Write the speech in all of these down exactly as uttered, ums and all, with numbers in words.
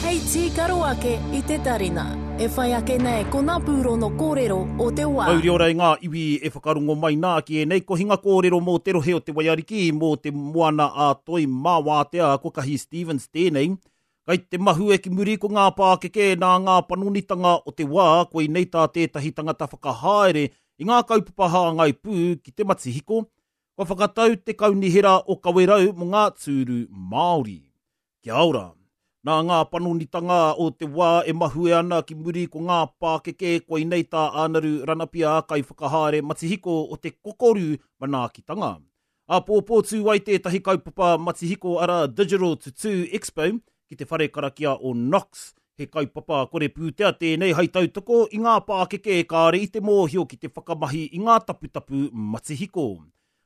Hei tīkaro ake i te tarina. E whai ake nei ko ngā pūrono kōrero o te wā. Mauri ora i ngā iwi e whakarongo mai nā ki ēnei kohinga kōrero mō te rohe o te Waiariki, mō te moana a Toi mā wātea ko Kahi Stevens tēnei. Kai te mahue ki muri ko ngā pākeke nā ngā panonitanga o te wā, koinei tā tētahi tangata whakahaere i ngā kaupapa hāngai pū ki te matihiko, kua whakatau te kaunihera o Kawerau mō ngā tūru Māori. Kia ora. Nā ngā panonitanga o te wā e mahue ana ki muri ko ngā pākeke koinei tā Ānaru Ranapia kaiwhakahaere matihiko o te kokoru manaakitanga. Āpōpō tū ai tētahi kaupapa matihiko ara Digital to Two Expo ki te whare karakia o Knox. He kaupapa kore pūtea tēnei hai tautoko i ngā pākeke kāre i te mōhio ki te whakamahi i ngā taputapu matihiko.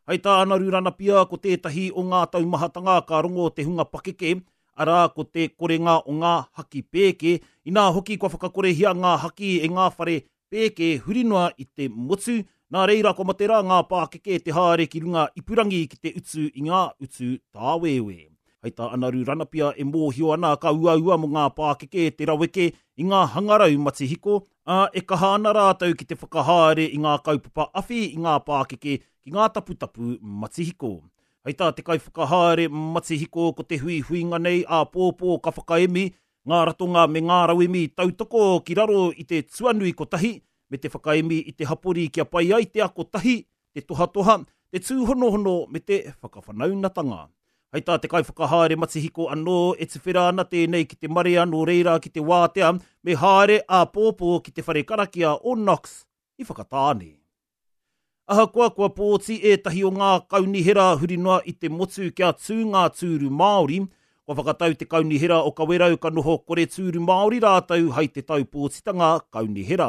Hai tā Ānaru Ranapia ko tētahi o ngā taumahatanga ka rongo te hunga pakeke, arā ko te korenga o ngā haki pēke, inā hoki kua whakakorehia ngā haki e ngā whare pēke huri noa i te motu, nā reira kua mate rā ngā pākeke te haere ki runga ipurangi ki te utu i ngā utu tāwewe. Hai tā Anaru Ranapia e mōhio ana ka uaua mō ngā pākeke te raweke i ngā hangarau matihiko, ā, e kaha ana rātou ki te whakahaere i ngā kaupapa awhi i ngā pākeke ki ngā taputapu matihiko. Hei tā te kaiwhakahaere matihiko ko te huihuinga nei āpōpō ka whakaemi ngā ratonga me ngā rauemi tautoko ki raro i te tuanui kotahi me te whakaemi i te hapori kia pai ai te ako tahi, te tohatoha, te tūhonohono me te whakawhanaungatanga. Hei tā te kaiwhakahaere matihiko anō e tuwhera ana tēnei ki te marea nō reira ki te wātea me haere āpōpō ki te whare karakia o Knox i Whakatāne. Ahakoa kua pōti ētahi o ngā kaunihera huri noa i te motu kia tū ngā tūru Māori, kua whakatau te kaunihera o Kawerau ka noho kore tūru Māori rātou hai te tau pōtitanga kaunihera.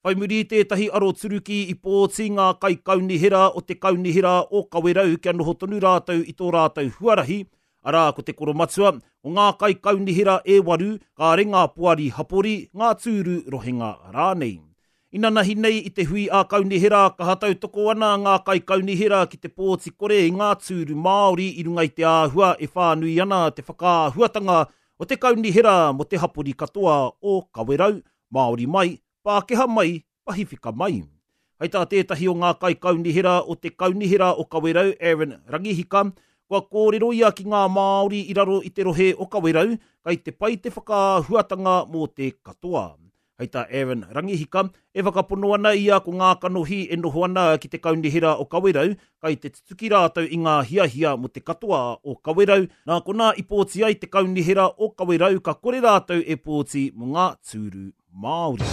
Whai muri i tētahi aroturuki i pōti ngā kaikaunihera o te kaunihera o Kawerau kia noho tonu rātou i tō rātou huarahi, arā ko te koromatua, o ngā kaikaunihera e waru, kāre ngā poari hapori, ngā tūru rohenga rānei. Inanahi nei i te hui a kaunihera kaha tautoko ana ngā kaikaunihera ki te pōti kore i ngā tūru Māori i runga i te āhua e whānui ana te whakaahuatanga o te kaunihera mō te hapori katoa o Kawerau, Māori mai, Pākehā mai, Pahiwhika mai. Hei tā tētahi o ngā kaikaunihera o te kaunihera o Kawerau, Aaron Rangihika, kua kōrero ia ki ngā Māori i raro i te rohe o Kawerau, kai te pai te whakaahuatanga mō te katoa. Hei tā Aaron Rangihika, e whakapono ana ia ko ngā kanohi e noho ana ki te kaunihera o Kawerau, kai te tutuki rātou i ngā hiahia mō te katoa o Kawerau, nā konā i pōti ai te kaunihera o Kawerau ka kore rātou e pōti mō ngā tūru Māori.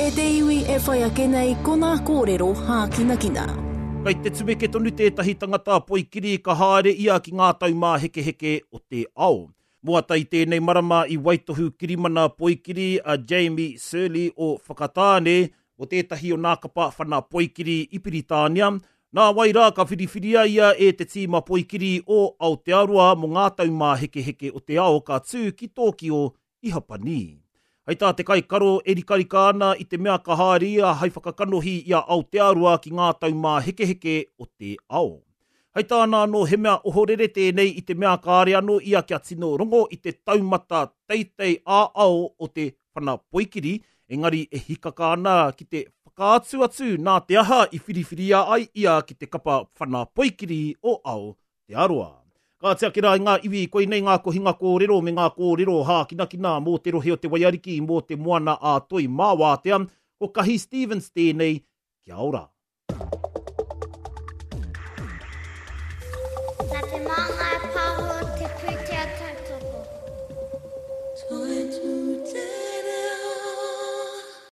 E te iwi e whai ake nei ko ngā kōrero hākinakina. Kai te tumeke tonu tētahi tangata poikiri ka haere ia ki ngā taumāhekeheke o te ao. Moata i tēnei marama i waitohu kirimana poikiri a Jamie Shirley o Whakatāne o tētahi o nā kapa whana poikiri i Piritānia. Nā wai rā ka whiriwhiria ia e te tīma poikiri o Aotearoa mō ngā taumāhekeheke o te ao ka tū ki Tōkio i Hapani. Hei tā te kaikaro e rikarika ana i te mea ka haere ia hai whakakanohi i a Aotearoa ki ngā taumāhekeheke o te ao. Hei tāna anō he mea ohorere tēnei i te mea kāre anō ia kia tino rongo i te taumata teitei ā-ao o te whana poikiri, engari e hikaka ana ki te whakaatu atu nā te aha i whiriwhiria ai ia ki te kapa whana poikiri o Aotearoa. Ka tiaki rā i ngā iwi, koinei ngā kohinga kōrero me ngā kōrero hākinakina mō te rohe o te Waiariki mō te moana a Toi mā wātea, ko Kahi Stevens tēnei, kia ora. Nā te Māngai Pāho te pūtake.